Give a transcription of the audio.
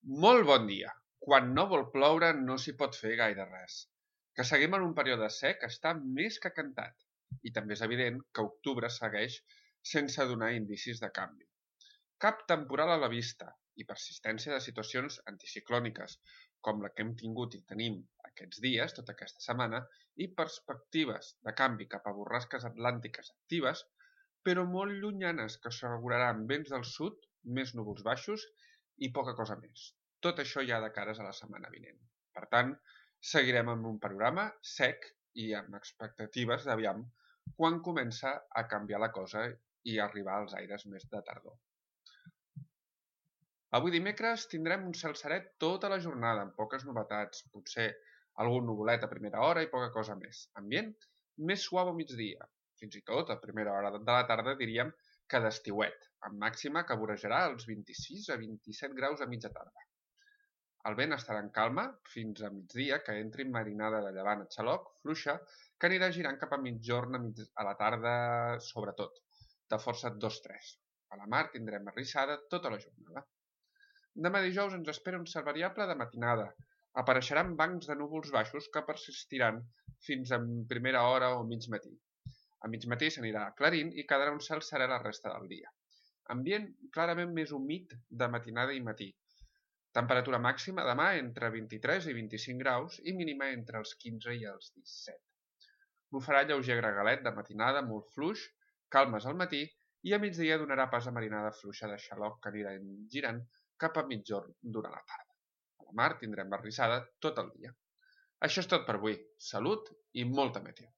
Molt bon dia. Quan no vol ploure no s'hi pot fer gaire res. Que seguim en un període sec està més que cantat. I també és evident que octubre segueix sense donar indicis de canvi. Cap temporal a la vista i persistència de situacions anticiclòniques, com la que hem tingut i tenim aquests dies, tota aquesta setmana, i perspectives de canvi cap a borrasques atlàntiques actives, però molt llunyanes que asseguraran vents del sud, més núvols baixos i poca cosa més. Tot això ja de cares a la setmana vinent. Per tant, seguirem amb un panorama sec i amb expectatives d'aviam quan comença a canviar la cosa i arribar als aires més de tardor. Avui dimecres tindrem un cel seret tota la jornada, amb poques novetats, potser algun nuvolet a primera hora i poca cosa més. Ambient més suau a migdia, fins i tot a primera hora de la tarda diríem que d'estiuet, amb màxima que vorejarà els 26 a 27 graus a mitja tarda. El vent estarà en calma fins a migdia, que entri marinada de llevant a xaloc, fluixa, que anirà girant cap a mitjorn a la tarda, sobretot, de força 2-3. A la mar tindrem arrissada tota la jornada. Demà dijous ens espera un cel variable de matinada. Apareixeran bancs de núvols baixos que persistiran fins a primera hora o mig matí. A mig matí s'anirà aclarint i quedarà un cel serè la resta del dia. Ambient clarament més humit de matinada i matí. Temperatura màxima demà entre 23 i 25 graus i mínima entre els 15 i els 17. Bufarà lleuger gregalet de matinada molt fluix, calmes al matí i a migdia donarà pas a marinada fluixa de xaloc que anirà girant cap a mitjorn durant la tarda. A la mar tindrem barrissada tot el dia. Això és tot per avui. Salut i molta meteo.